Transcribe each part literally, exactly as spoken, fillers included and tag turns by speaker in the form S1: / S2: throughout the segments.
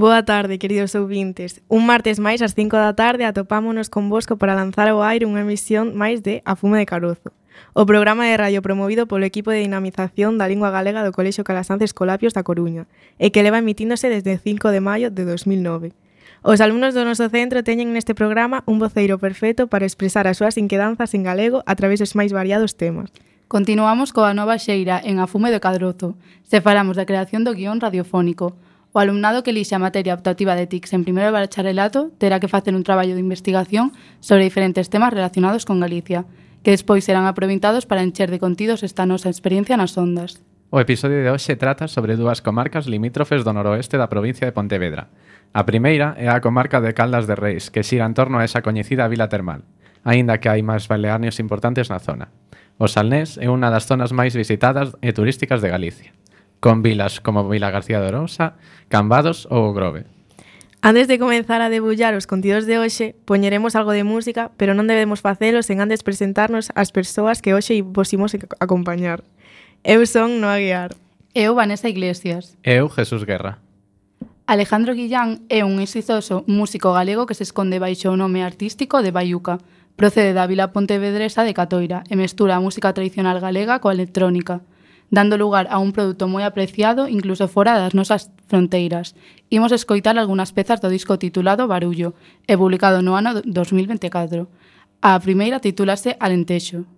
S1: Boa tarde, queridos ouvintes. Un martes máis ás cinco da tarde atopámonos convosco para lanzar ao aire unha emisión máis de A Fume de Carozo, o programa de radio promovido polo equipo de dinamización da lingua galega do Colexio Calasanz Escolapios da Coruña e que leva emitíndose desde o cinco de maio de dos mil nove. Os alumnos do noso centro teñen neste programa un voceiro perfecto para expresar as súas inquedanzas en galego a través dos máis variados temas.
S2: Continuamos coa nova xeira en A Fume de Carozo. Se falamos da creación do guión radiofónico. O alumnado que elixe a materia optativa de T I C S en primeiro bacharelato terá que facer un traballo de investigación sobre diferentes temas relacionados con Galicia, que despois serán aproveitados para encher de contidos esta nosa experiencia nas ondas.
S3: O episodio de hoxe trata sobre dúas comarcas limítrofes do noroeste da provincia de Pontevedra. A primeira é a comarca de Caldas de Reis, que xira en torno a esa coñecida vila termal, aínda que hai máis balnearios importantes na zona. O Salnés é unha das zonas máis visitadas e turísticas de Galicia, con vilas como Vila García de Arousa, Cambados ou o Grove.
S1: Antes de comenzar a debullar os contidos de hoxe, poñeremos algo de música, pero non debemos facelo sen antes presentarnos as persoas que hoxe vos imos acompañar. Eu son Noa Guiar.
S2: Eu, Vanessa Iglesias.
S3: Eu, Jesús Guerra.
S2: Alejandro Guillán é un exitoso músico galego que se esconde baixo o nome artístico de Baiuca. Procede da vila pontevedresa de Catoira e mestura a música tradicional galega coa electrónica, dando lugar a un produto moi apreciado incluso fora das nosas fronteiras. Imos escoitar algunhas pezas do disco titulado Barullo e publicado no ano dos mil veinticatro. A primeira titúlase Alentexo.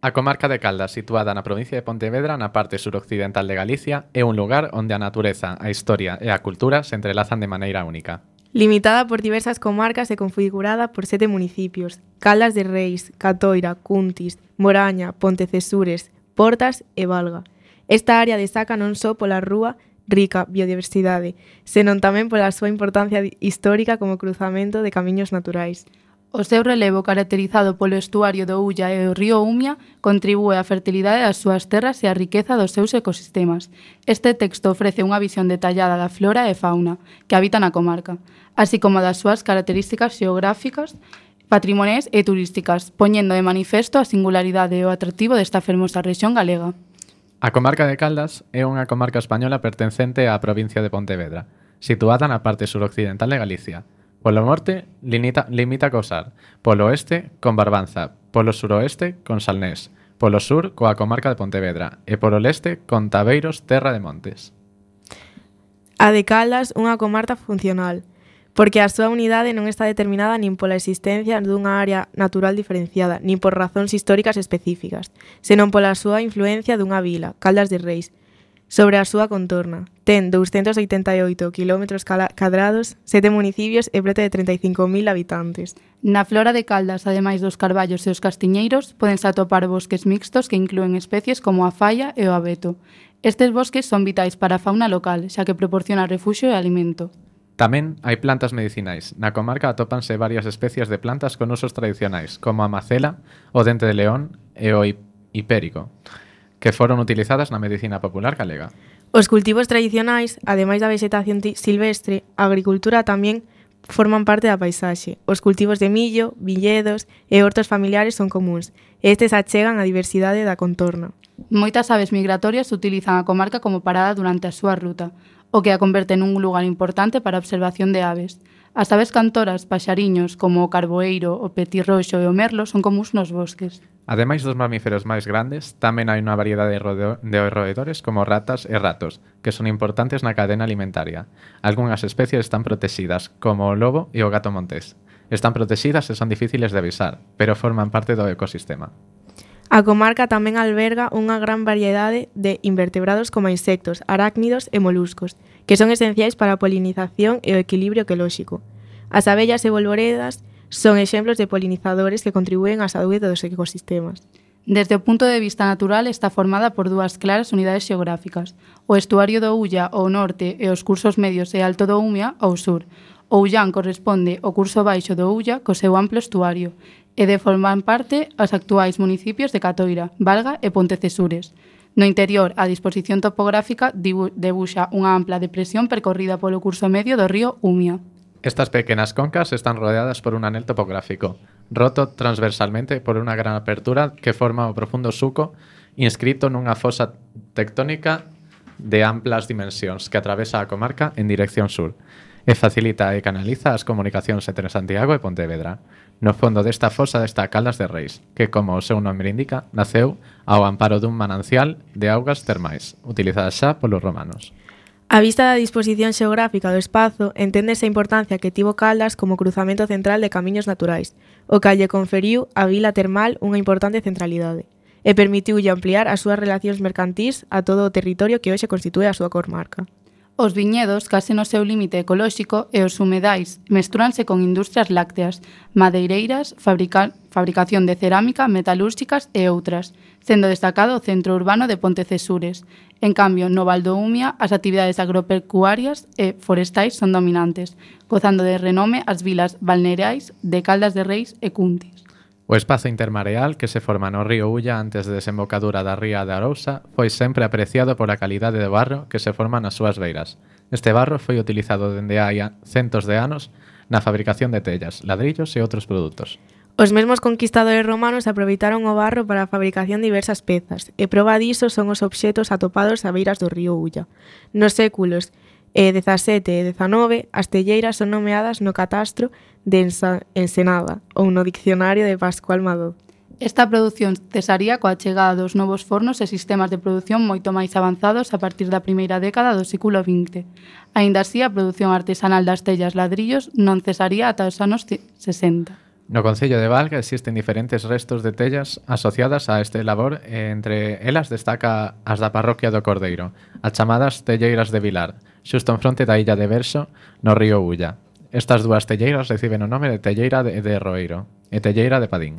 S3: A comarca de Caldas, situada na provincia de Pontevedra, na parte suroccidental de Galicia, é un lugar onde a natureza, a historia e a cultura se entrelazan de maneira única.
S1: Limitada por diversas comarcas e configurada por sete municipios: Caldas de Reis, Catoira, Cuntis, Moraña, Pontecesures, Portas e Valga. Esta área destaca non só pola rúa rica biodiversidade, senón tamén pola súa importancia histórica como cruzamento de camiños naturais.
S2: O seu relevo caracterizado polo estuario do Ulla e o río Umia contribúe á fertilidade das súas terras e á riqueza dos seus ecosistemas. Este texto ofrece unha visión detallada da flora e fauna que habitan a comarca, así como das súas características xeográficas, patrimoniais e turísticas, poñendo de manifesto a singularidade e o atractivo desta fermosa rexión galega.
S3: A comarca de Caldas é unha comarca española pertencente á provincia de Pontevedra, situada na parte suroccidental de Galicia. Polo norte limita, limita co Sar, polo oeste con Barbanza, polo suroeste con Salnés, polo sur coa comarca de Pontevedra e polo leste con Tabeiros, terra de montes.
S1: A de Caldas, unha comarca funcional, porque a súa unidade non está determinada nin pola existencia dunha área natural diferenciada, nin por razóns históricas específicas, senón pola súa influencia dunha vila, Caldas de Reis, sobre a súa contorna. Ten douscentos oitenta e oito kilómetros cadrados, sete municipios e preto de trinta e cinco mil habitantes.
S2: Na flora de Caldas, ademais dos carballos e os castiñeiros, podense atopar bosques mixtos que inclúen especies como a falla e o abeto. Estes bosques son vitais para a fauna local, xa que proporciona refuxio e alimento.
S3: Tamén hai plantas medicinais. Na comarca atópanse varias especies de plantas con usos tradicionais, como a macela, o dente de león e o hipérico, que foron utilizadas na medicina popular galega.
S1: Os cultivos tradicionais, ademais da vegetación silvestre, a agricultura tamén forman parte da paisaxe. Os cultivos de millo, viñedos e hortos familiares son comuns, e estes achegan a diversidade da contorna.
S2: Moitas aves migratorias utilizan a comarca como parada durante a súa ruta, o que a converte nun lugar importante para a observación de aves. As aves cantoras, paxariños, como o carboeiro, o petirroxo e o merlo, son comuns nos bosques.
S3: Ademais dos mamíferos máis grandes, tamén hai unha variedade de roedores como ratas e ratos, que son importantes na cadena alimentaria. Algúnas especies están protexidas, como o lobo e o gato montés. Están protexidas e son difíciles de avisar, pero forman parte do ecosistema.
S1: A comarca tamén alberga unha gran variedade de invertebrados como insectos, arácnidos e moluscos, que son esenciais para a polinización e o equilibrio ecolóxico. As abellas e bolboredas son exemplos de polinizadores que contribúen á saúde dos ecosistemas.
S2: Desde o punto de vista natural está formada por dúas claras unidades xeográficas, o estuario do Ulla ao norte e os cursos medios e alto do Umia ao sur. O Ullán corresponde ao curso baixo do Ulla co seu amplo estuario, e de forman parte os actuais municipios de Catoira, Valga e Pontecesures. No interior, a disposición topográfica debuxa unha ampla depresión percorrida polo curso medio do río Umia.
S3: Estas pequenas concas están rodeadas por un anel topográfico, roto transversalmente por unha gran apertura que forma o profundo suco inscrito nunha fosa tectónica de amplas dimensións que atravesa a comarca en dirección sur e facilita e canaliza as comunicacións entre Santiago e Pontevedra. No fondo desta fosa está Caldas de Reis, que, como o seu nome indica, naceu ao amparo dun manancial de augas termais, utilizada xa polos romanos.
S1: A vista da disposición xeográfica do espazo, enténdese a importancia que tivo Caldas como cruzamento central de camiños naturais, o que lle conferiu á vila termal unha importante centralidade, e permitiulle ampliar as súas relacións mercantís a todo o territorio que hoxe constitúe a súa comarca.
S2: Os viñedos, case no seu límite ecolóxico, e os humedais mestúranse con industrias lácteas, madeireiras, fabrica, fabricación de cerámica, metalúrxicas e outras, sendo destacado o centro urbano de Pontecesures. En cambio, no Val do Umia, as actividades agropecuarias e forestais son dominantes, gozando de renome as vilas balnearais de Caldas de Reis e Cuntis.
S3: O espazo intermareal que se forma no río Ulla antes de desembocadura da ría de Arousa foi sempre apreciado pola calidade do barro que se forma nas súas beiras. Este barro foi utilizado dende hai centos de anos na fabricación de tellas, ladrillos e outros produtos.
S1: Os mesmos conquistadores romanos aproveitaron o barro para a fabricación de diversas pezas, e proba diso son os obxetos atopados a beiras do río Ulla. Nos séculos e dezasete e dezanove, as telleiras son nomeadas no catastro de Ensenada ou no diccionario de Pascual Madó.
S2: Esta produción cesaría coa chegada dos novos fornos e sistemas de produción moito máis avanzados a partir da primeira década do século vinte. Aínda así, a produción artesanal das tellas ladrillos non cesaría ata os anos sesenta.
S3: No concello de Valga existen diferentes restos de tellas asociadas a este labor e entre elas destaca as da parroquia do Cordeiro, as chamadas telleiras de Vilar, xusto en fronte da illa de Verso, no río Ulla. Estas dúas telleiras reciben o nome de telleira de, de Roeiro e telleira de Padín.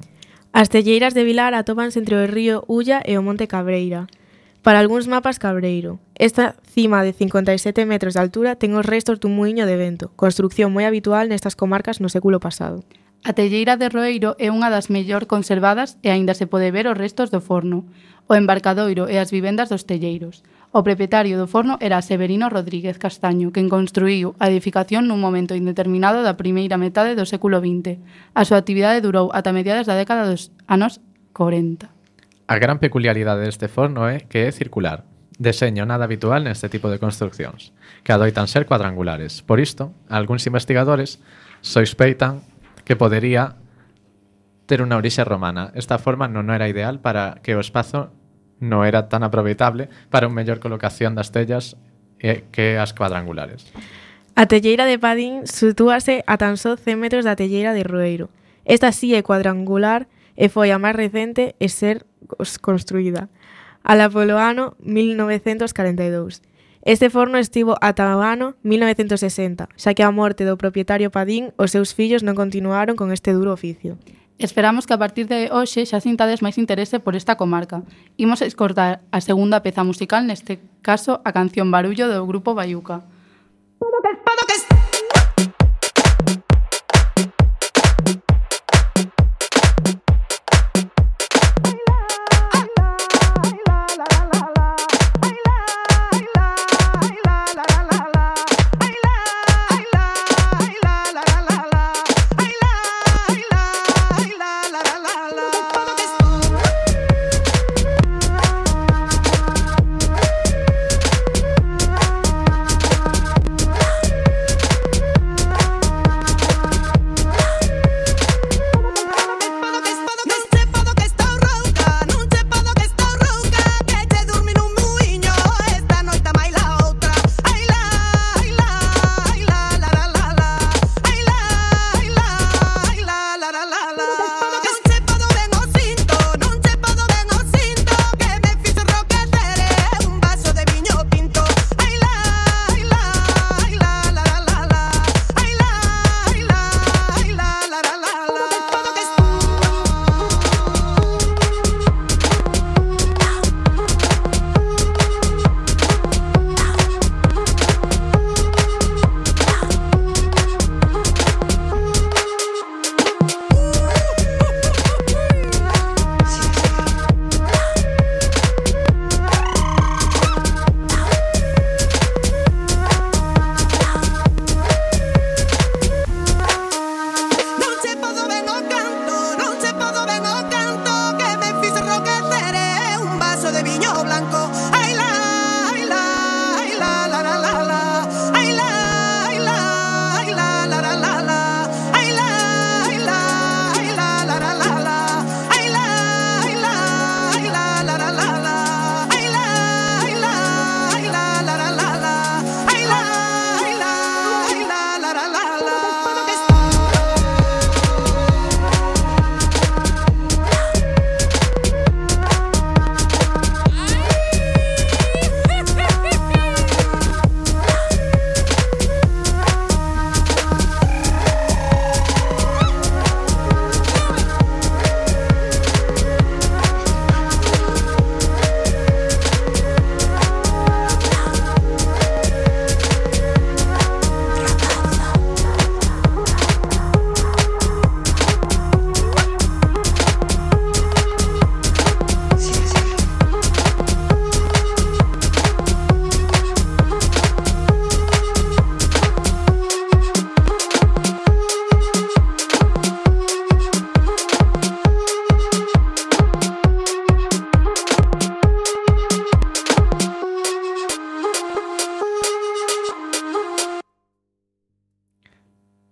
S1: As telleiras de Vilar atópanse entre o río Ulla e o Monte Cabreira. Para algúns mapas Cabreiro. Esta cima de cincuenta e sete metros de altura ten os restos dun muiño de vento, construcción moi habitual nestas comarcas no século pasado.
S2: A telleira de Roeiro é unha das mellor conservadas e aínda se pode ver os restos do forno, o embarcadoiro e as vivendas dos telleiros. O propietario do forno era Severino Rodríguez Castaño, quen construíu a edificación nun momento indeterminado da primeira metade do século vinte. A súa actividade durou ata mediados da década dos anos corenta.
S3: A gran peculiaridade deste forno é que é circular, deseño nada habitual neste tipo de construcións, que adoitan ser cuadrangulares. Por isto, algúns investigadores sospeitan que podería ter unha orixe romana. Esta forma non era ideal para que o espazo non era tan aproveitable para unha mellor colocación das tellas que as cuadrangulares.
S1: A telleira de Padín sitúase a tan só cen metros da telleira de Roeiro. Esta sí é cuadrangular e foi a máis recente en ser construída, ala polo ano mil novecentos corenta e dous. Este forno estivo ata o ano mil novecentos sesenta, xa que a morte do propietario Padín, os seus fillos non continuaron con este duro oficio.
S2: Esperamos que a partir de hoxe xa sintades máis interese por esta comarca. Imos escortar a segunda peza musical, neste caso a canción Barullo do grupo Baiuca.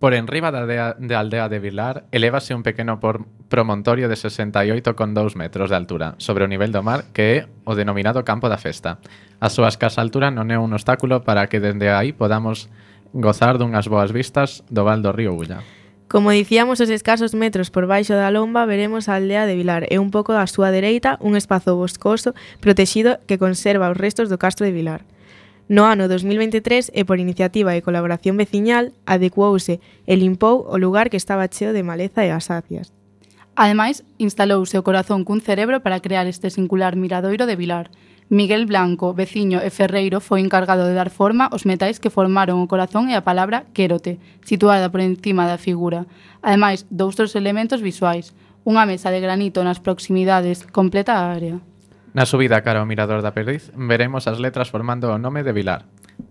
S3: Por enriba da aldea, de aldea de Vilar, elévase un pequeno por, promontorio de sesenta e oito coma dous metros de altura sobre o nivel do mar, que é o denominado Campo da Festa. A súa escasa altura non é un obstáculo para que dende aí podamos gozar dunhas boas vistas do val do río Ulla.
S1: Como dicíamos, os escasos metros por baixo da lomba veremos a aldea de Vilar e un pouco á súa dereita un espazo boscoso protexido que conserva os restos do castro de Vilar. No ano dos mil veintitrés, e por iniciativa e colaboración veciñal, adecuouse e limpou o lugar que estaba cheo de maleza e asácias.
S2: Ademais, instalouse o corazón cun cerebro para crear este singular miradoiro de Vilar. Miguel Blanco, veciño e ferreiro, foi encargado de dar forma aos metais que formaron o corazón e a palabra quérote, situada por encima da figura. Ademais, doutros elementos visuais. Unha mesa de granito nas proximidades completa a área.
S3: Na subida cara ao mirador da Perdiz veremos as letras formando o nome de Vilar.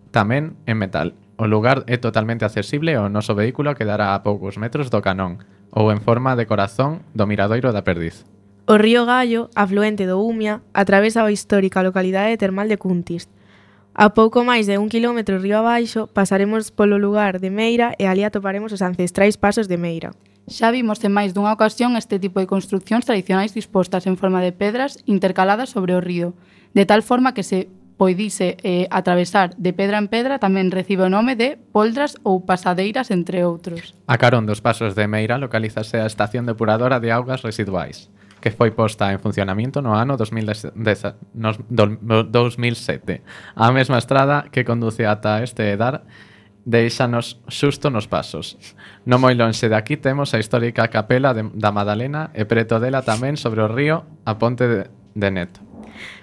S3: Tamén en metal. O lugar é totalmente accesible e o noso vehículo quedará a poucos metros do canón ou en forma de corazón do miradoiro da Perdiz.
S1: O río Gallo, afluente do Umia, atravesa a histórica localidade termal de Cuntis. A pouco máis de un kilómetro río abaixo, pasaremos polo lugar de Meira e ali atoparemos os ancestrais pasos de Meira.
S2: Xa vimos en máis dunha ocasión este tipo de construcións tradicionais dispostas en forma de pedras intercaladas sobre o río, de tal forma que se poidise eh, atravesar de pedra en pedra tamén recibe o nome de poldras ou pasadeiras, entre outros.
S3: A carón dos pasos de Meira localízase a estación depuradora de augas residuais, que foi posta en funcionamento no ano dos mil sete. A mesma estrada que conduce ata este edar deixanos xusto nos pasos. Non moi lonxe de aquí temos a histórica capela de, da Madalena e preto dela tamén sobre o río a ponte de, de Neto.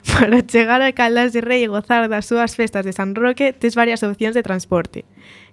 S1: Para chegar a Caldas de Rei e gozar das súas festas de San Roque, tes varias opcións de transporte.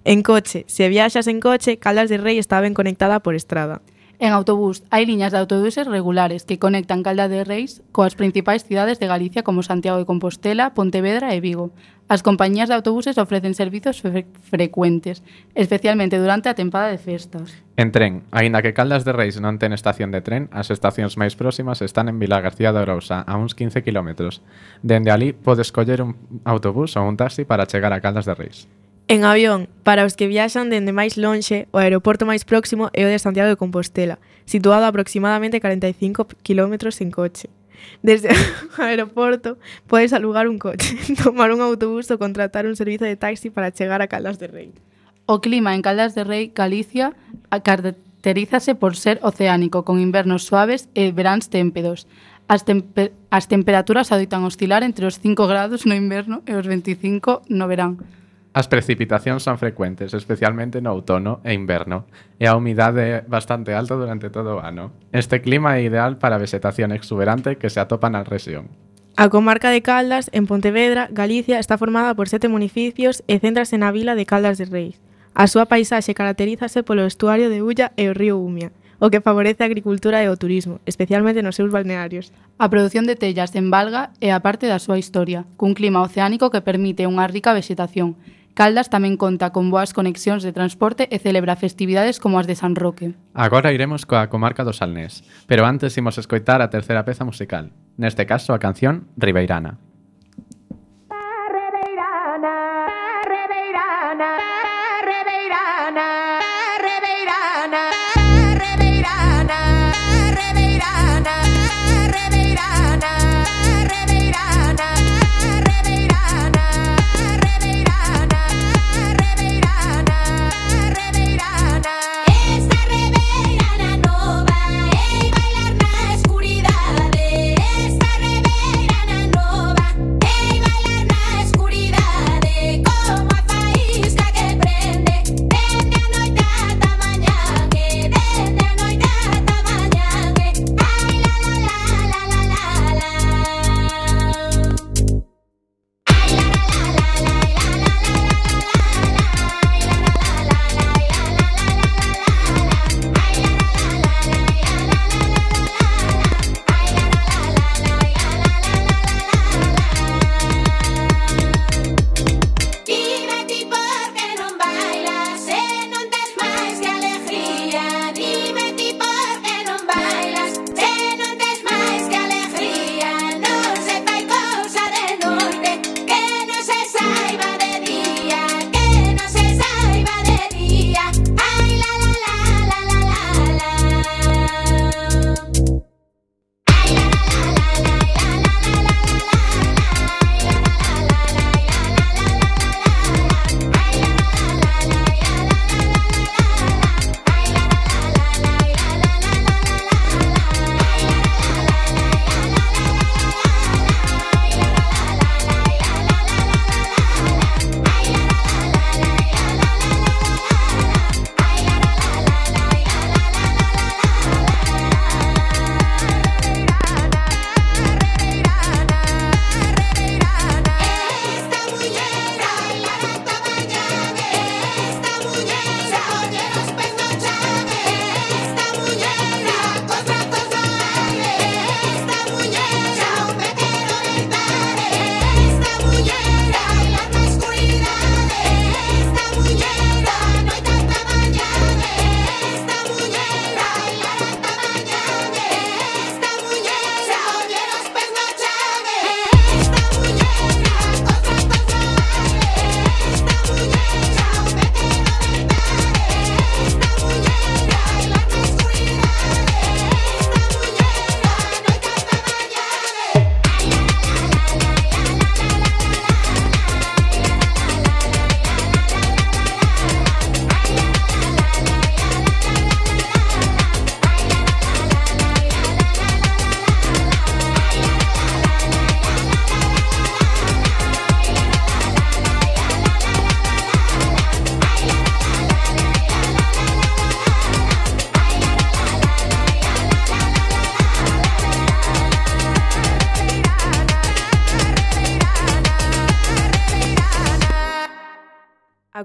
S1: En coche, se viaxas en coche, Caldas de Rei está ben conectada por estrada.
S2: En autobús, hai liñas de autobuses regulares que conectan Caldas de Reis coas principais cidades de Galicia como Santiago de Compostela, Pontevedra e Vigo. As compañías de autobuses ofrecen servizos fre frecuentes, especialmente durante a tempada de festas.
S3: En tren, aínda que Caldas de Reis non ten estación de tren, as estacións máis próximas están en Vilagarcía de Arousa, a uns quince kilómetros. Dende ali podes coller un autobús ou un taxi para chegar a Caldas de Reis.
S1: En avión, para os que viaxan dende máis lonxe, o aeroporto máis próximo é o de Santiago de Compostela, situado a aproximadamente cuarenta e cinco kilómetros en coche. Desde o aeroporto podes alugar un coche, tomar un autobús ou contratar un servizo de taxi para chegar a Caldas de Rei.
S2: O clima en Caldas de Rei, Galicia, caracterízase por ser oceánico, con invernos suaves e veráns témpedos. As, tempe as temperaturas adoitan oscilar entre os cinco grados no inverno e os veinticinco no verán.
S3: As precipitacións son frecuentes, especialmente no outono e inverno, e a humidade é bastante alta durante todo o ano. Este clima é ideal para a vegetación exuberante que se atopa na rexión.
S1: A comarca de Caldas, en Pontevedra, Galicia, está formada por sete municipios e céntrase na vila de Caldas de Reis. A súa paisaxe caracterízase polo estuario de Ulla e o río Umia, o que favorece a agricultura e o turismo, especialmente nos seus balnearios.
S2: A produción de tellas en Valga é a parte da súa historia, cun clima oceánico que permite unha rica vegetación. Caldas tamén conta con boas conexións de transporte e celebra festividades como as de San Roque.
S3: Agora iremos coa comarca do Salnés, pero antes imos escoitar a terceira peza musical, neste caso a canción Ribeirana.
S4: Ribeirana, Ribeirana, Ribeirana, Ribeirana, Ribeirana, Ribeirana, Ribeirana, Ribeirana, Ribeirana, Ribeirana, Ribeirana, Ribeirana. Esta Ribeirana nova é bailar na escuridade. Esta Ribeirana nova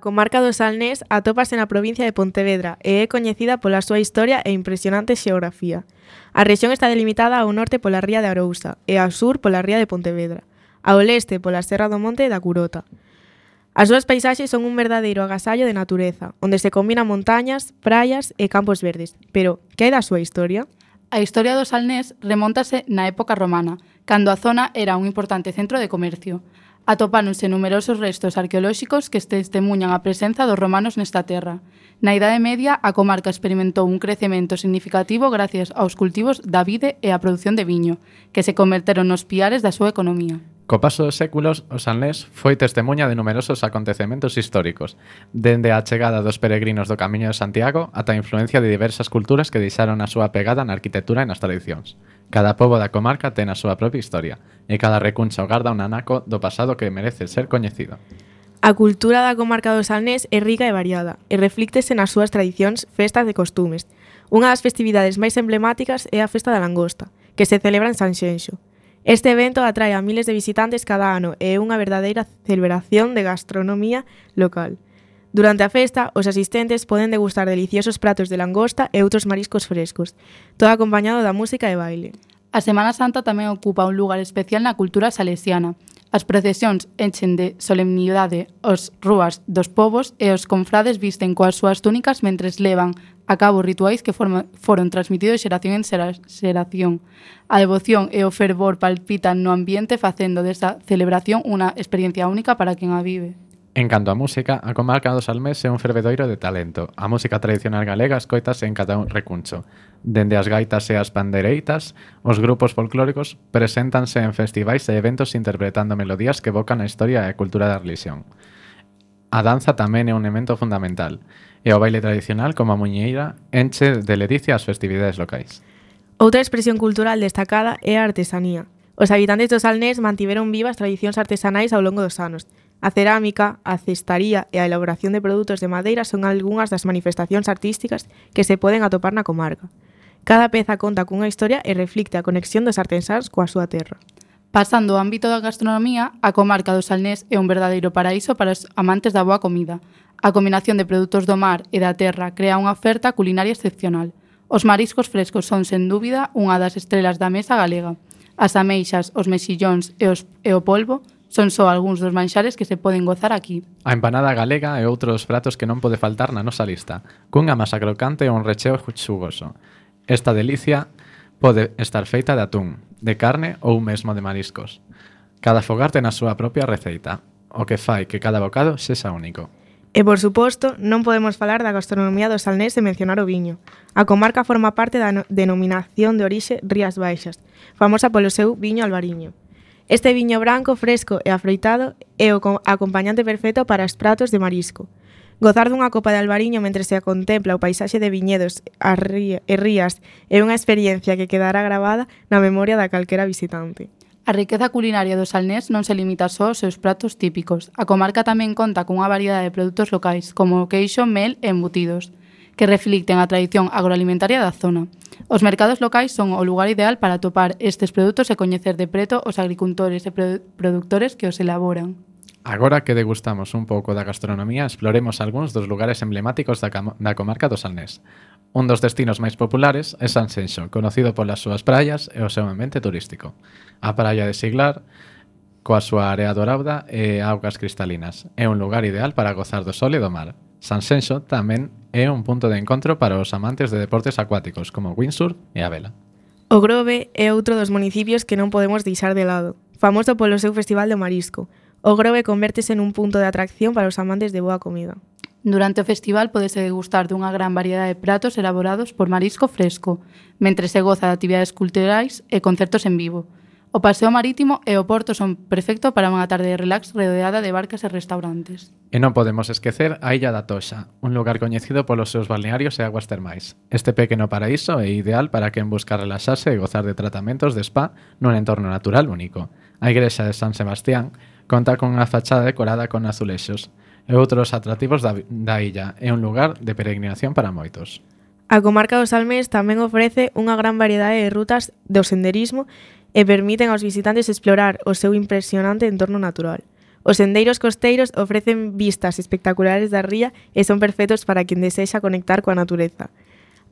S1: comarca do Salnés atópase na provincia de Pontevedra e é coñecida pola súa historia e impresionante xeografía. A rexión está delimitada ao norte pola ría de Arousa e ao sur pola ría de Pontevedra, ao leste pola Serra do Monte da Curota. As súas paisaxes son un verdadeiro agasallo de natureza, onde se combinan montañas, praias e campos verdes. Pero, que hai da súa historia?
S2: A historia do Salnés remóntase na época romana, cando a zona era un importante centro de comercio. Atopáronse numerosos restos arqueolóxicos que testemunhan a presenza dos romanos nesta terra. Na Idade Media, a comarca experimentou un crecemento significativo gracias aos cultivos da vide e a produción de viño, que se converteron nos piares da súa economía.
S3: Co paso dos séculos, o Salnés foi testemunha de numerosos acontecementos históricos, dende a chegada dos peregrinos do Camiño de Santiago ata a influencia de diversas culturas que deixaron a súa pegada na arquitectura e nas tradicións. Cada pobo da comarca ten a súa propia historia, e cada recuncha garda un anaco do pasado que merece ser coñecido.
S1: A cultura da comarca do Salnés é rica e variada, e reflíctese nas súas tradicións, festas e costumes. Unha das festividades máis emblemáticas é a Festa da Langosta, que se celebra en Sanxenxo. Este evento atrae a miles de visitantes cada ano e é unha verdadeira celebración de gastronomía local. Durante a festa, os asistentes poden degustar deliciosos pratos de langosta e outros mariscos frescos, todo acompañado da música e baile.
S2: A Semana Santa tamén ocupa un lugar especial na cultura salesiana. As procesións enchen de solemnidade os rúas dos povos e os confrades visten coas súas túnicas mentres levan a cabo rituais que forma, foron transmitidos xeración en xeración. A devoción e o fervor palpitan no ambiente facendo desta celebración unha experiencia única para quen a vive.
S3: En canto á música, a comarca do Salnés é un fervedoiro de talento. A música tradicional galega escoitase en cada un recuncho. Dende as gaitas e as pandereitas, os grupos folclóricos preséntanse en festivais e eventos interpretando melodías que evocan a historia e a cultura da religión. A danza tamén é un elemento fundamental, e o baile tradicional, como a muñeira, enche de ledicia as festividades locais.
S1: Outra expresión cultural destacada é a artesanía. Os habitantes do Salnés mantiveron vivas tradicións artesanais ao longo dos anos. A cerámica, a cestaría e a elaboración de produtos de madeira son algunhas das manifestacións artísticas que se poden atopar na comarca. Cada peza conta cunha historia e reflicte a conexión dos artesáns coa súa terra.
S2: Pasando ao ámbito da gastronomía, a comarca do Salnés é un verdadeiro paraíso para os amantes da boa comida. A combinación de produtos do mar e da terra crea unha oferta culinaria excepcional. Os mariscos frescos son, sen dúbida, unha das estrelas da mesa galega. As ameixas, os mexillóns e, os, e o polvo son só algúns dos manxares que se poden gozar aquí.
S3: A empanada galega é outro dos pratos que non pode faltar na nosa lista, cunha masa crocante e un recheo xugoso. Esta delicia pode estar feita de atún, de carne ou mesmo de mariscos. Cada fogar ten a súa propia receita, o que fai que cada bocado sexa único.
S1: E, por suposto, non podemos falar da gastronomía do Salnés sen mencionar o viño. A comarca forma parte da no- denominación de orixe Rías Baixas, famosa polo seu viño albariño. Este viño branco, fresco e afroitado é o acompañante perfecto para os pratos de marisco. Gozar dunha copa de albariño mentre se contempla o paisaxe de viñedos e rías é unha experiencia que quedará gravada na memoria da calquera visitante.
S2: A riqueza culinaria do Salnés non se limita só aos seus pratos típicos. A comarca tamén conta cunha variedade de produtos locais, como o queixo, mel e embutidos, que reflicten a tradición agroalimentaria da zona. Os mercados locais son o lugar ideal para atopar estes produtos e coñecer de preto os agricultores e produ- productores que os elaboran.
S3: Agora que degustamos un pouco da gastronomía, exploremos algúns dos lugares emblemáticos da, cam- da comarca do Salnés. Un dos destinos máis populares é Sanxenxo, conocido polas súas praias e o seu ambiente turístico. A praia de Siglar, coa súa area dorada e augas cristalinas, é un lugar ideal para gozar do sol e do mar. Sanxenxo tamén é un punto de encontro para os amantes de deportes acuáticos como o windsurf e a vela.
S1: O Grove é outro dos municipios que non podemos deixar de lado, famoso polo seu festival de marisco. O Grove convértese nun punto de atracción para os amantes de boa comida.
S2: Durante o festival podese degustar dunha gran variedade de pratos elaborados por marisco fresco, mentre se goza de actividades culturais e concertos en vivo. O paseo marítimo e o porto son perfecto para unha tarde de relax rodeada de barcas e restaurantes.
S3: E non podemos esquecer a Illa da Toxa, un lugar coñecido polos seus balnearios e aguas termais. Este pequeno paraíso é ideal para quen busca relaxarse e gozar de tratamentos de spa nun entorno natural único. A igrexa de San Sebastián conta con unha fachada decorada con azulexos e outros atractivos da, da illa. É un lugar de peregrinación para moitos.
S1: A comarca do Salnés tamén ofrece unha gran variedade de rutas do senderismo e permiten aos visitantes explorar o seu impresionante entorno natural. Os sendeiros costeiros ofrecen vistas espectaculares da ría e son perfectos para quen desexa conectar coa natureza.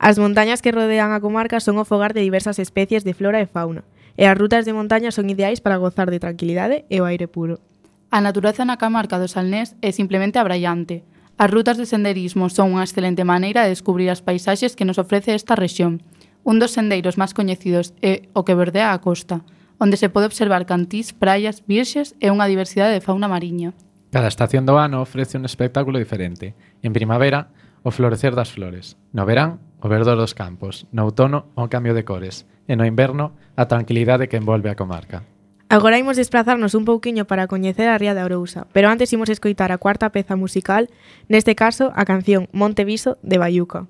S1: As montañas que rodean a comarca son o fogar de diversas especies de flora e fauna, e as rutas de montaña son ideais para gozar de tranquilidade e o aire puro.
S2: A natureza na comarca do Salnés é simplemente abraiante. As rutas de senderismo son unha excelente maneira de descubrir as paisaxes que nos ofrece esta rexión. Un dos sendeiros máis coñecidos é o que bordea a costa, onde se pode observar cantís, praias, virxes e unha diversidade de fauna mariña.
S3: Cada estación do ano ofrece un espectáculo diferente. En primavera, o florecer das flores. No verán, o verdor dos campos. No outono, o cambio de cores. E no inverno, a tranquilidade que envolve a comarca.
S1: Agora imos desplazarnos un pouquiño para coñecer a ría de Arousa, pero antes imos escoitar a cuarta peza musical, neste caso a canción Monte Viso de Baiuca.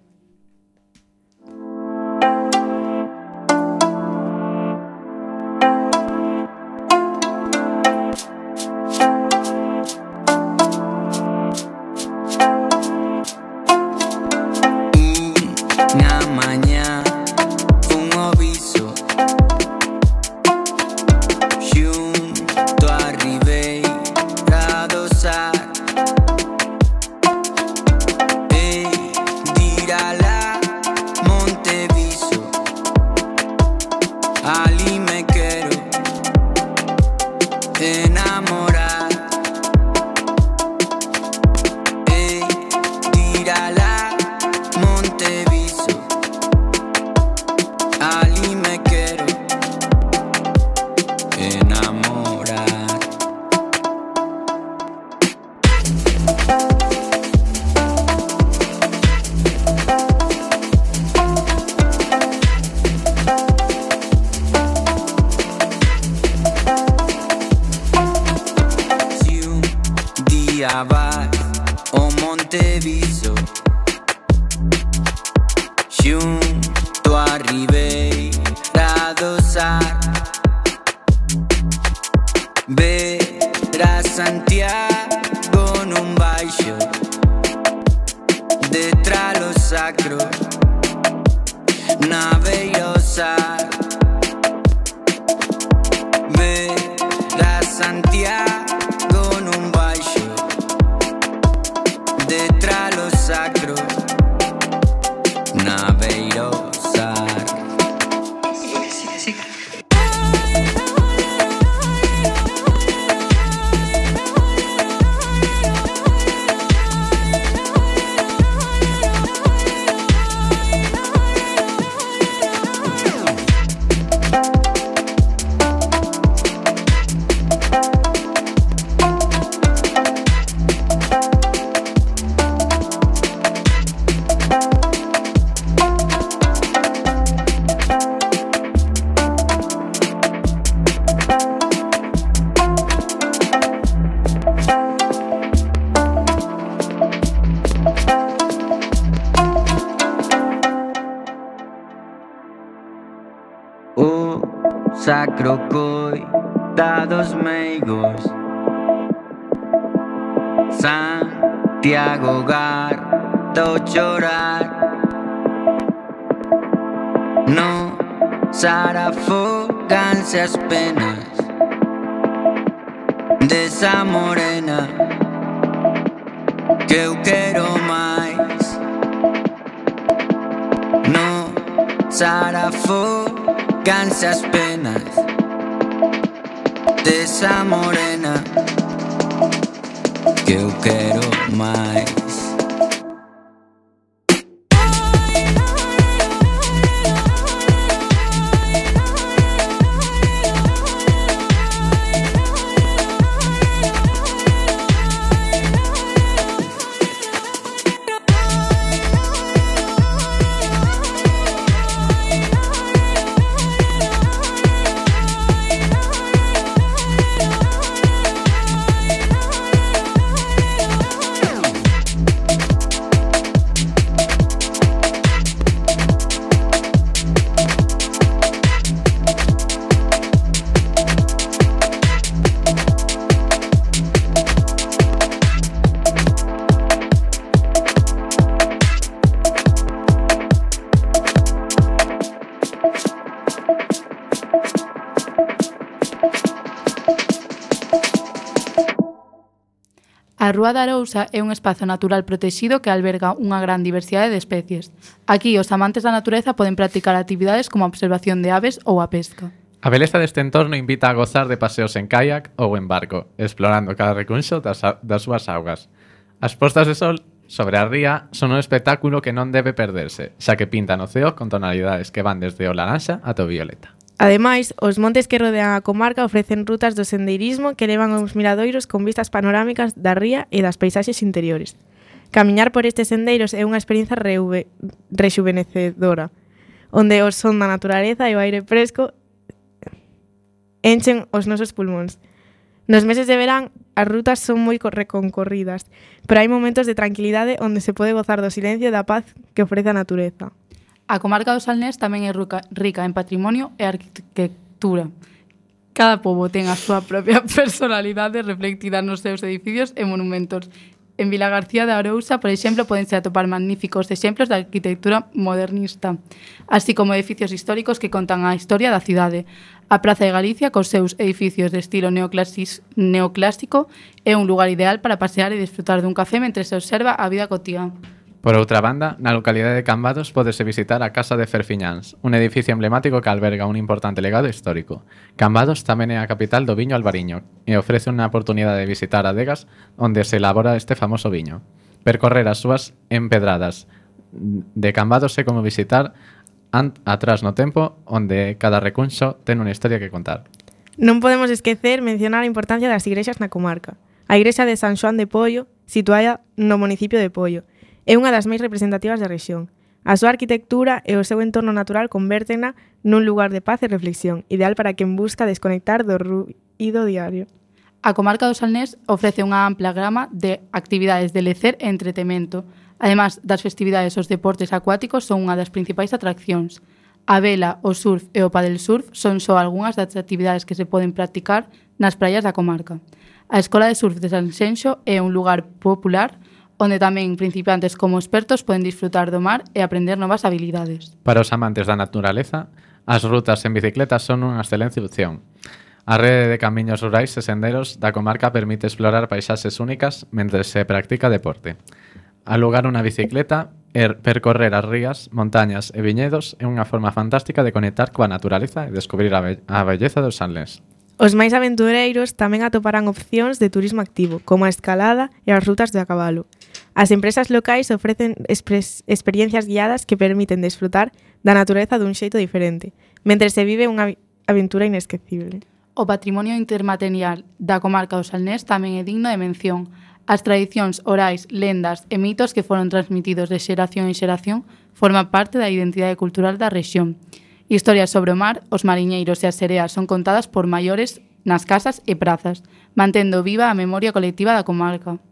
S5: Sacro coitados meigos, Santiago garto chorar, no sarafoganse as penas desa morena que eu quero máis. No sarafoganse as penas desa morena que eu quero máis.
S2: A Rúa da Arousa é un espazo natural protexido que alberga unha gran diversidade de especies. Aquí, os amantes da natureza poden practicar actividades como a observación de aves ou a pesca.
S3: A beleza deste entorno invita a gozar de paseos en kayak ou en barco, explorando cada recunxo das, a- das súas augas. As postas de sol sobre a ría son un espectáculo que non debe perderse, xa que pintan o ceo con tonalidades que van desde o laranxa ata o violeta.
S1: Ademais, os montes que rodean a comarca ofrecen rutas do sendeirismo que levan aos miradoiros con vistas panorámicas da ría e das paisaxes interiores. Camiñar por estes sendeiros é unha experiencia reuve, rexuvenecedora, onde o son da naturaleza e o aire fresco enchen os nosos pulmóns. Nos meses de verán, as rutas son moi co- reconcorridas, pero hai momentos de tranquilidade onde se pode gozar do silencio e da paz que ofrece a natureza.
S2: A comarca do Salnés tamén é ruca- rica en patrimonio e arquitectura. Cada pobo ten a súa propia personalidade reflectida nos seus edificios e monumentos. En Vila García de Arousa, por exemplo, podense atopar magníficos exemplos de arquitectura modernista, así como edificios históricos que contan a historia da cidade. A Praza de Galicia, cos seus edificios de estilo neoclasis- neoclásico, é un lugar ideal para pasear e disfrutar dun café mentre se observa a vida cotiá.
S3: Por outra banda, na localidade de Cambados pódese visitar a Casa de Ferfiñáns, un edificio emblemático que alberga un importante legado histórico. Cambados tamén é a capital do viño albariño e ofrece unha oportunidade de visitar adegas onde se elabora este famoso viño. Percorrer as súas empedradas de Cambados é como visitar ant atrás no tempo onde cada recunxo ten unha historia que contar.
S1: Non podemos esquecer mencionar a importancia das igrexas na comarca. A igrexa de San Xoán de Pollo, situada no municipio de Pollo, é unha das máis representativas da rexión. A súa arquitectura e o seu entorno natural convértena nun lugar de paz e reflexión, ideal para quen busca desconectar do ruído diario.
S2: A comarca do Salnés ofrece unha ampla gama de actividades de lecer e entretemento. Ademais das festividades, os deportes acuáticos son unha das principais atraccións. A vela, o surf e o paddlesurf son só algunhas das actividades que se poden practicar nas praias da comarca. A Escola de Surf de Sanxenxo é un lugar popular onde tamén principiantes como expertos poden disfrutar do mar e aprender novas habilidades.
S3: Para os amantes da naturaleza, as rutas en bicicleta son unha excelente opción. A rede de camiños rurais e senderos da comarca permite explorar paisaxes únicas mentre se practica deporte. Alugar unha bicicleta e percorrer as rías, montañas e viñedos é unha forma fantástica de conectar coa naturaleza e descubrir a, be a belleza dos Salnés.
S1: Os máis aventureiros tamén atoparán opcións de turismo activo, como a escalada e as rutas de a cabalo. As empresas locais ofrecen experiencias guiadas que permiten desfrutar da natureza dun xeito diferente, mentre se vive unha aventura inesquecible.
S2: O patrimonio intermaterial da comarca do Salnés tamén é digno de mención. As tradicións orais, lendas e mitos que foron transmitidos de xeración en xeración forman parte da identidade cultural da rexión. Historias sobre o mar, os mariñeiros e as sereas son contadas por maiores nas casas e prazas, mantendo viva a memoria colectiva da comarca.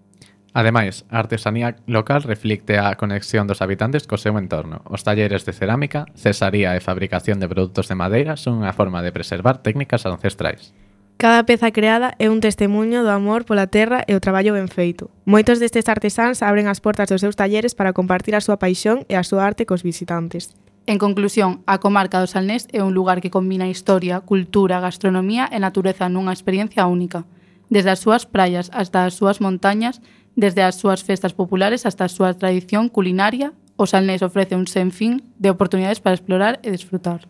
S3: Ademais, a artesanía local reflicte a conexión dos habitantes co seu entorno. Os talleres de cerámica, cesaría e fabricación de produtos de madeira son unha forma de preservar técnicas ancestrais.
S1: Cada peza creada é un testemunho do amor pola terra e o traballo ben feito. Moitos destes artesáns abren as portas dos seus talleres para compartir a súa paixón e a súa arte cos visitantes.
S2: En conclusión, a comarca do Salnés é un lugar que combina historia, cultura, gastronomía e natureza nunha experiencia única. Desde as súas praias hasta as súas montañas, desde as súas festas populares hasta a súa tradición culinaria, o Salnés ofrece un senfín de oportunidades para explorar e desfrutar.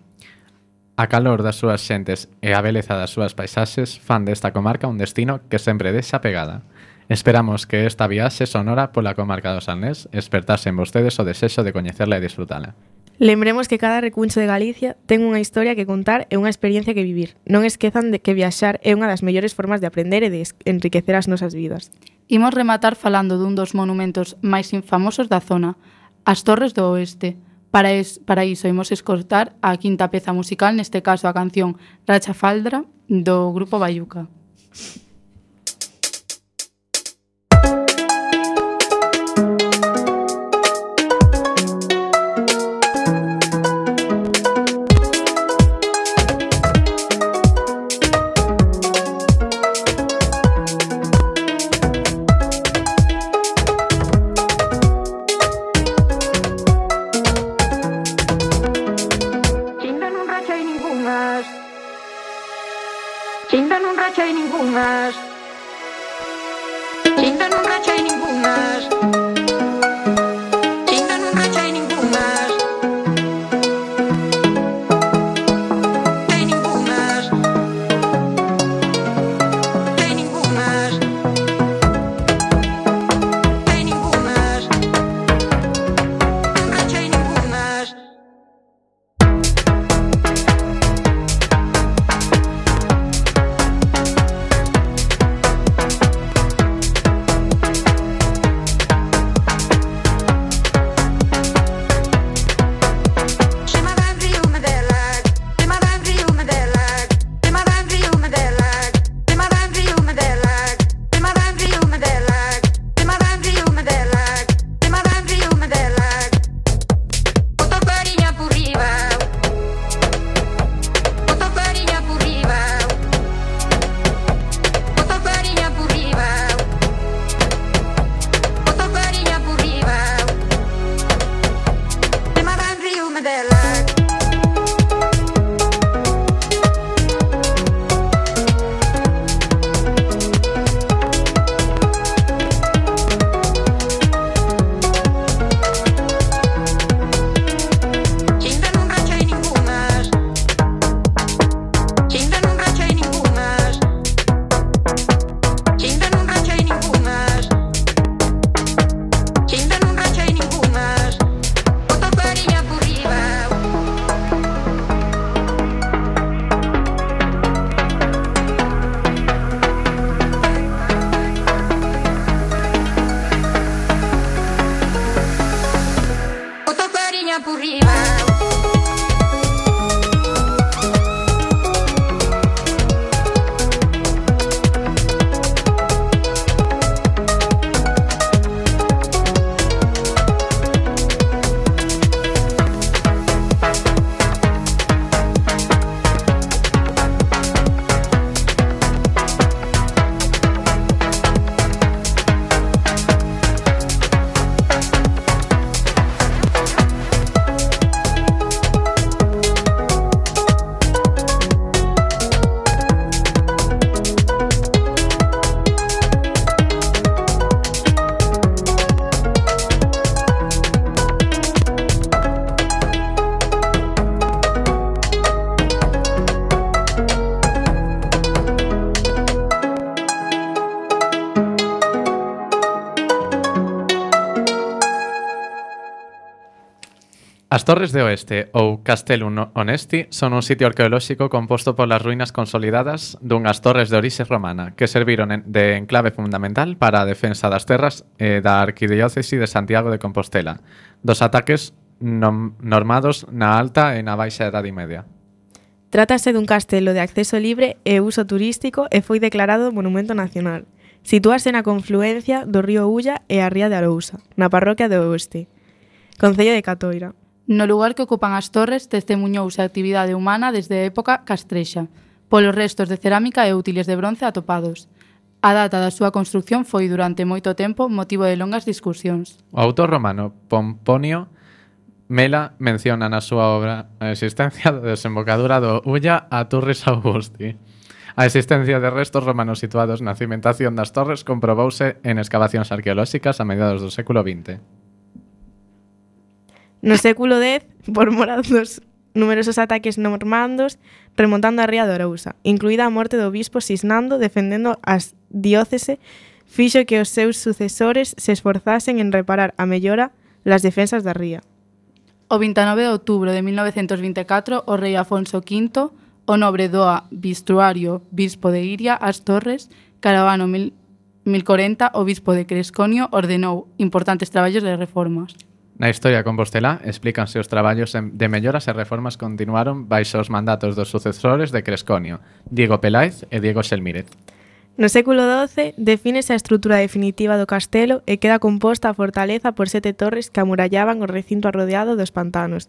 S3: A calor das súas xentes e a beleza das súas paisaxes fan desta comarca un destino que sempre deixa pegada. Esperamos que esta viaxe sonora pola comarca do Salnés espertase en vostedes o desexo de coñecerla e disfrutala.
S1: Lembremos que cada recuncho de Galicia ten unha historia que contar e unha experiencia que vivir. Non esquezan de que viaxar é unha das mellores formas de aprender e de enriquecer as nosas vidas.
S2: Imos rematar falando dun dos monumentos máis famosos da zona, as Torres do Oeste. Para, es, para iso imos escoitar a quinta peza musical, neste caso a canción Racha Faldra do grupo Bayuca.
S4: Chinda nun racha e ningunhas. Chinda nun racha
S6: me dé like.
S3: As Torres de Oeste ou Castellum Honesti son un sitio arqueolóxico composto polas ruínas consolidadas dunhas torres de orixe romana que serviron de enclave fundamental para a defensa das terras e da arquidiócese de Santiago de Compostela dos ataques nom- normados na Alta e na Baixa Edade Media.
S1: Trátase dun castelo de acceso libre e uso turístico e foi declarado Monumento Nacional. Sitúase na confluencia do río Ulla e a ría de Arousa, na parroquia de Oeste, concello de Catoira.
S2: No lugar que ocupan as torres testemuñouse a actividade humana desde a época castrexa, polos restos de cerámica e útiles de bronce atopados. A data da súa construción foi durante moito tempo motivo de longas discusións.
S3: O autor romano Pomponio Mela menciona na súa obra a existencia da desembocadura do Ulla a Turris Augusti. A existencia de restos romanos situados na cimentación das torres comprobouse en excavacións arqueolóxicas a mediados do século vinte.
S1: No século dez, por mor dos numerosos ataques normandos remontando a ría de Arousa, incluída a morte do bispo Sisnando defendendo as diócese, fixo que os seus sucesores se esforzasen en reparar a mellora las defensas da ría.
S2: O vinte e nove de outubro de mil novecentos vinte e catro, o rei Afonso quinto, o nobre doa Bistruario, bispo de Iria, as Torres, Caravano mil corenta, o bispo de Cresconio, ordenou importantes traballos de reformas.
S3: Na historia compostelá explícanse os traballos de melloras e reformas continuaron baixo os mandatos dos sucesores de Cresconio, Diego Peláez e Diego Xelmírez.
S1: No século doce defínese a estrutura definitiva do castelo e queda composta a fortaleza por sete torres que amurallaban o recinto arrodeado dos pantanos.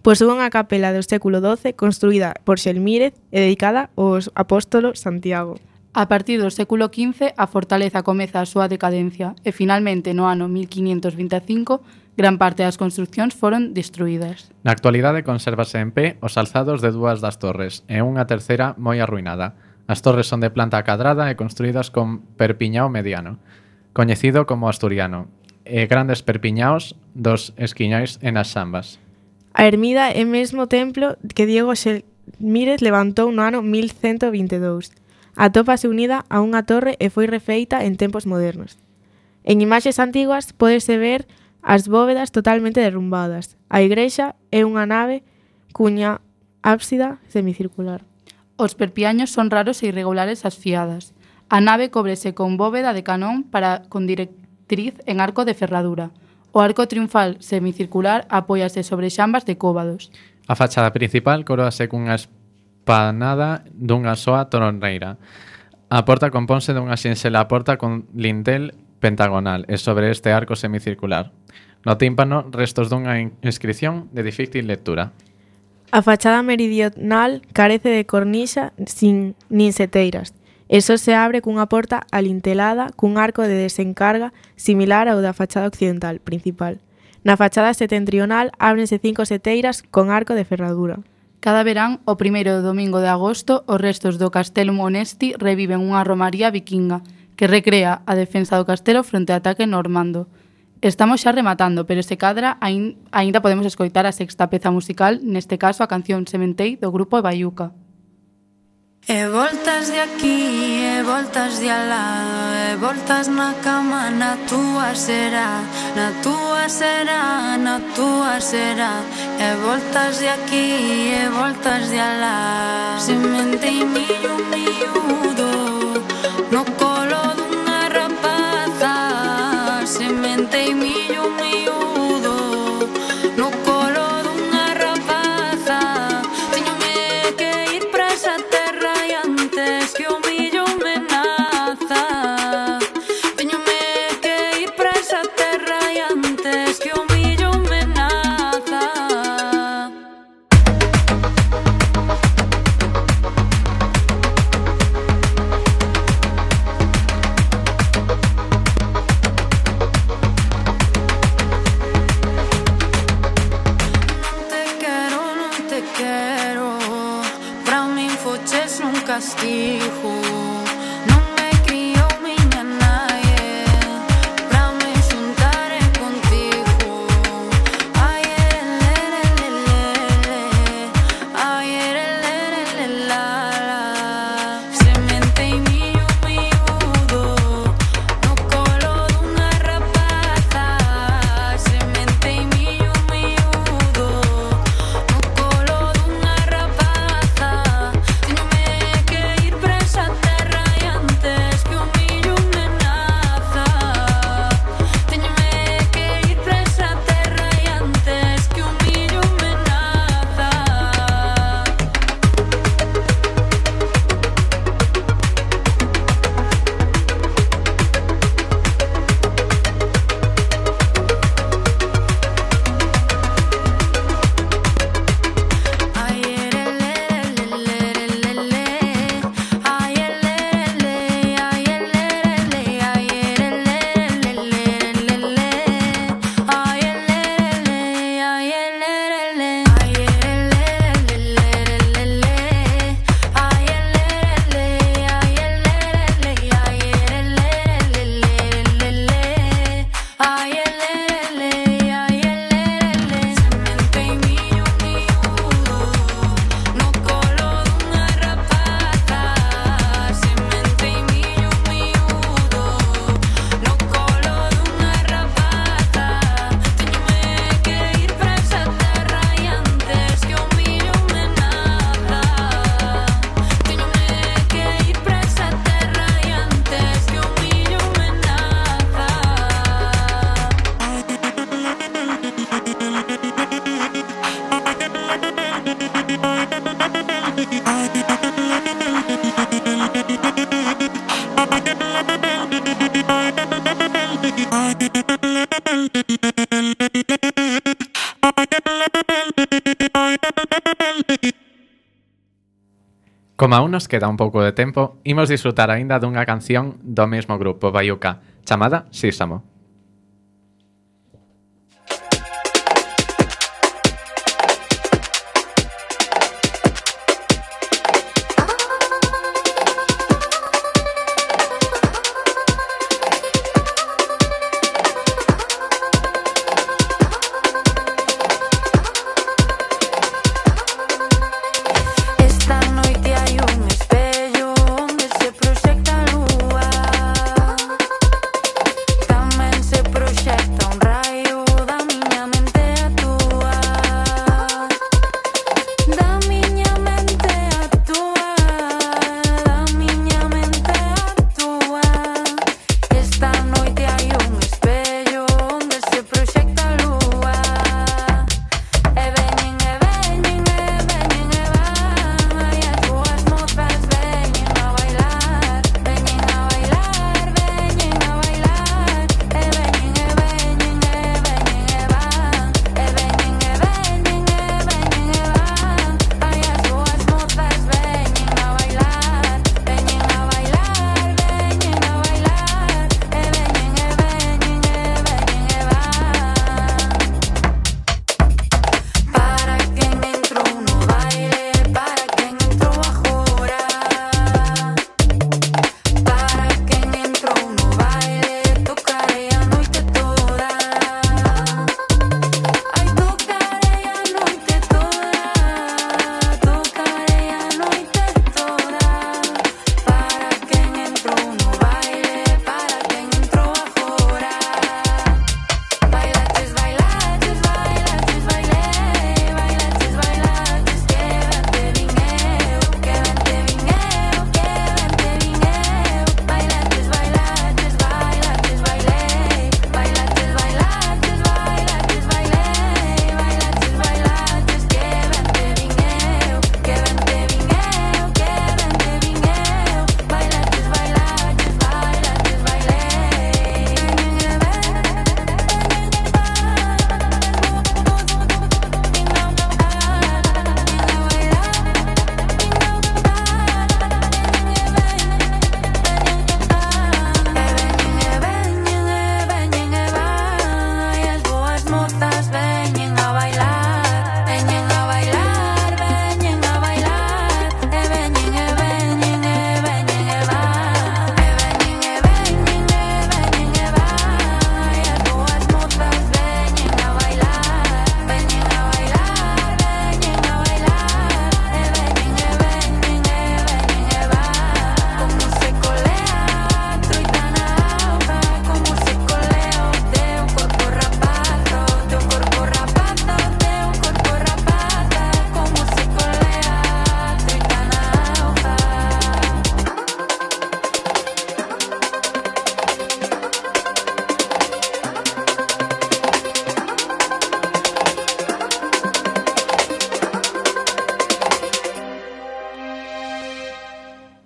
S1: Posúe unha capela do século doce construída por Xelmírez e dedicada ao apóstolo Santiago.
S2: A partir do século quince, a fortaleza comeza a súa decadencia e finalmente no ano mil quinhentos vinte e cinco gran parte das construcións foron destruídas.
S3: Na actualidade consérvase en pé os alzados de dúas das torres e unha terceira moi arruinada. As torres son de planta cadrada e construídas con perpiñao mediano, coñecido como asturiano, e grandes perpiñaos dos esquiñais e nas xambas.
S1: A ermida é mesmo templo que Diego Xelmírez levantou no ano mil cento vinte e dous. Atópase unida a unha torre e foi refeita en tempos modernos. En imaxes antiguas pódese ver as bóvedas totalmente derrumbadas. A igrexa é unha nave cuña ábsida semicircular.
S2: Os perpiaños son raros e irregulares as fiadas. A nave cóbrese con bóveda de canón para con directriz en arco de ferradura. O arco triunfal semicircular apóiase sobre xambas de cóbados.
S3: A fachada principal coroase cunha espanada dunha soa toronreira. A porta componse dunha sinxela porta con lintel pentagonal e sobre este arco semicircular. No tímpano, restos dunha inscripción de difícil lectura.
S1: A fachada meridional carece de cornixa sin nin seteiras, e só se abre cunha porta alintelada cun arco de desencarga similar ao da fachada occidental principal. Na fachada setentrional ábrense cinco seteiras con arco de ferradura.
S2: Cada verán, o primeiro domingo de agosto, os restos do Castelo Monesti reviven unha romaría vikinga que recrea a defensa do castelo fronte ao ataque normando. Estamos xa rematando, pero se cadra ain, aínda podemos escoitar a sexta peza musical, neste caso a canción Sementei do grupo Baiuca.
S6: E voltas de aquí, e voltas de alá, e voltas na cama, na túa será, na túa será, na túa será. E voltas de aquí, e voltas de alá. Semente e millo miúdo no colo dunha rapaza. Semente e millo miúdo no colo dunha rapaza. Teñome que ir pra esa terra e antes que o millo me naza. Teñome que ir pra esa terra e antes que o millo me naza. Non te quero, non te quero. Pra min foches un castigo. Non me criou miña nai, pra me xuntare contigo. Ai, ere, lere, lere, ai, ere, lere, lere, la, la. Semente e millo miúdo no colo dunha rapaza. Semente e millo miúdo no colo dunha rapaza. Teñome que ir pra esa terra e antes que o millo me naza. Teñome que ir pra esa terra e antes que o millo me naza. Ai, ere, lere, lere, lere, ai, ere, lere, ai, ere, lere, ai, ere, lere, lere, lere, ai, ere, lere, ai, ere, lere, ai, ere, lere, lere, lere, ai, ere, lere, ai, ere, lere, ai, ere, lere, lere, ai, ere, lere, ai, ere, lere. Semente e millo miúdo no colo dunha rapaza. Semente e millo miúdo no colo dunha rapaza. Teñome que ir pra esa terra e antes que o millo me naza. Teñome que ir pra esa terra e antes que o millo me naza.
S3: Como aún nos queda un pouco de tempo, imos disfrutar aínda dunha canción do mesmo grupo Baiuca, chamada Sísamo.
S6: Esta noite hai un espello onde se proxecta a lúa. Dame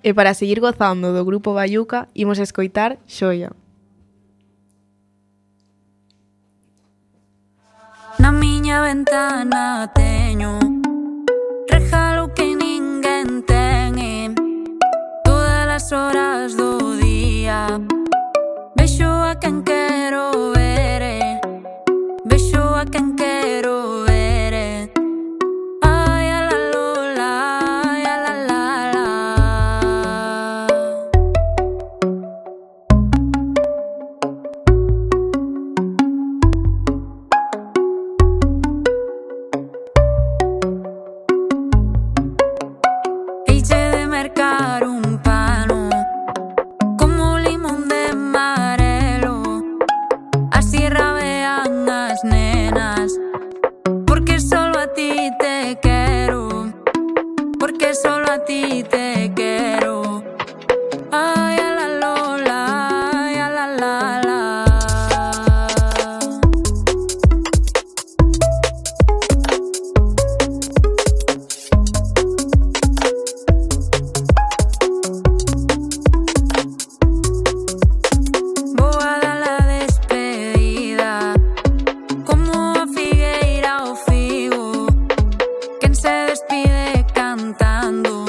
S1: E para seguir gozando do grupo Bayuca, imos escoitar Xoia.
S6: Na miña ventana teño regalo que ninguén ten e todas as horas do día vexo a quen quero ver e vexo a quen quero ver e ai a la lola, ai a la la la. Eiche de mercar un pano como limón de amarelo, así rabean as nenas, porque solo a ti te quiero, porque solo a ti te quiero. Ay, a la lola, ay, a la la la. Vou a dar la despedida como a figueira ao figo. Quen se despide cantando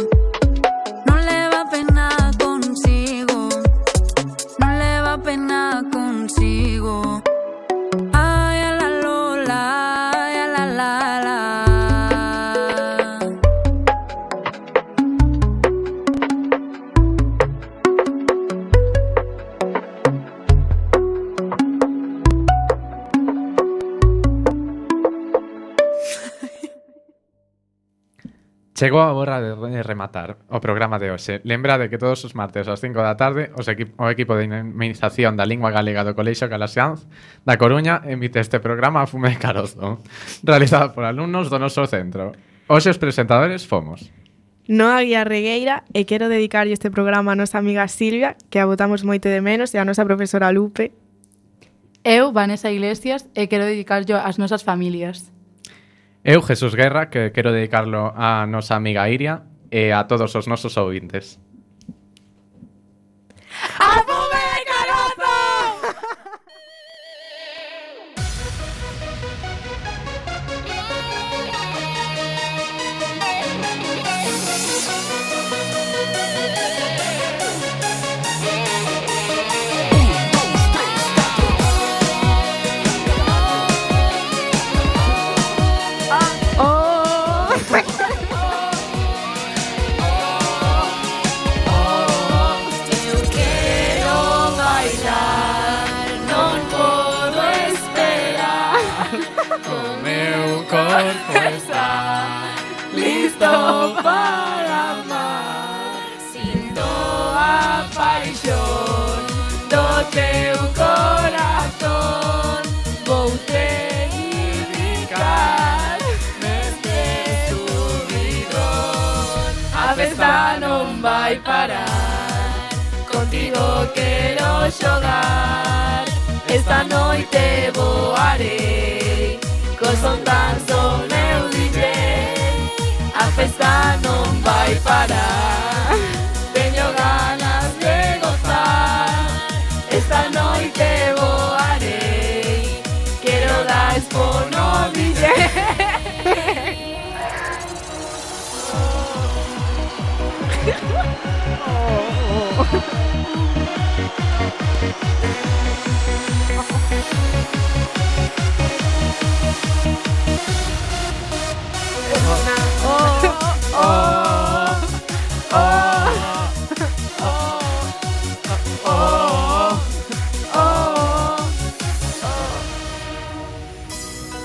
S6: non leva pena consigo, non leva pena consigo. Ai, a la lola, ai, a la la la.
S3: Chegou a hora de re- rematar o programa de hoxe. Lembrade que todos os martes ás cinco da tarde os equi- o equipo de dinamización da lingua galega do Colexio Calaxianz da Coruña emite este programa a Fume de Carozo, realizado por alumnos do noso centro. Hoxe os presentadores fomos
S1: Noa Guía Regueira e quero dedicarlle este programa a nosa amiga Silvia, que a botamos moito de menos, e a nosa profesora Lupe.
S2: Eu, Vanessa Iglesias, e quero dedicarlo ás nosas familias.
S3: eu, Jesús Guerra, que quero dedicarlo a nosa amiga Iria e a todos os nosos ouvintes.
S1: ¡A Fume de Carozo!
S6: Eu quero bailar, non podo esperar.
S3: O meu corpo está listo para amar.
S6: Sinto a paixón do teu corazón. Vou te indicar neste subidón. A festa non vai parar, contigo quero xogar. Esta noite voarei, co son tan son meu D J. A festa non vai parar, teño ganas de gozar. Esta noite voarei, quero dar expo no D J.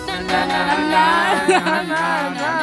S6: Na na na na na na na.